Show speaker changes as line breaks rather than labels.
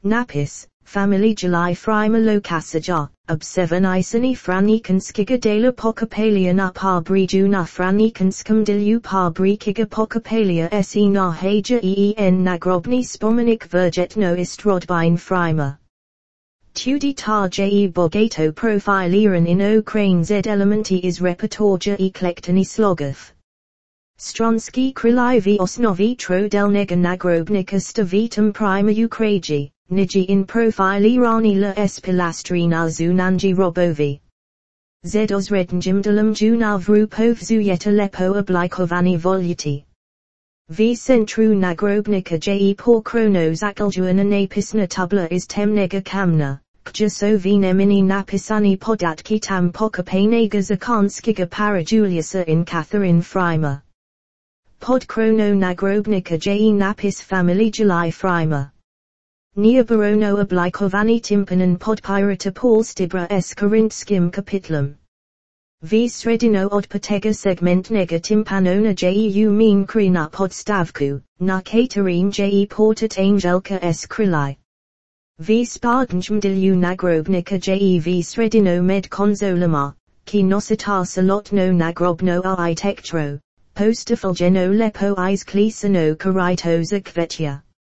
Napis, family July frima locasaja, obseven isani franikanskiga de la pocapalia na parbri na franikanskam dilu parbri kiga pocapalia se na haja een nagrobni spomenik verget no istrodbine frima. Tudi tar je bogato profiliran in o crane z elementi is repertorja eklektani slogov. Stronsky krilivi osnovi tro del nega nagrobnika stavitum prima ukraji, niji in profili rani la espilastrina zunanji robovi. Z osrednjim junal vrupovzu yeta lepo oblikovani voluti. V centru nagrobnika je por kronos akaljuana napisna tabla is temnega kamna, kjasovi nemini napisani podatki tam pokapanega zakonskiga parajuliusa in Catherine Frima. Pod krono nagrobnika je napis family July Frima. Nia barono oblikovani timpanan podpirata polstibra s korintskim kapitlum. V sredino od potega segment nega timpanona jeu min krina podstavku, na Katerine je portat angelka s krili. V spardanjm dilu nagrobnika je v sredino med konzolama, ki nositar salotno nagrobno architectro, postafulgeno lepo iz klisano karito zakvetja.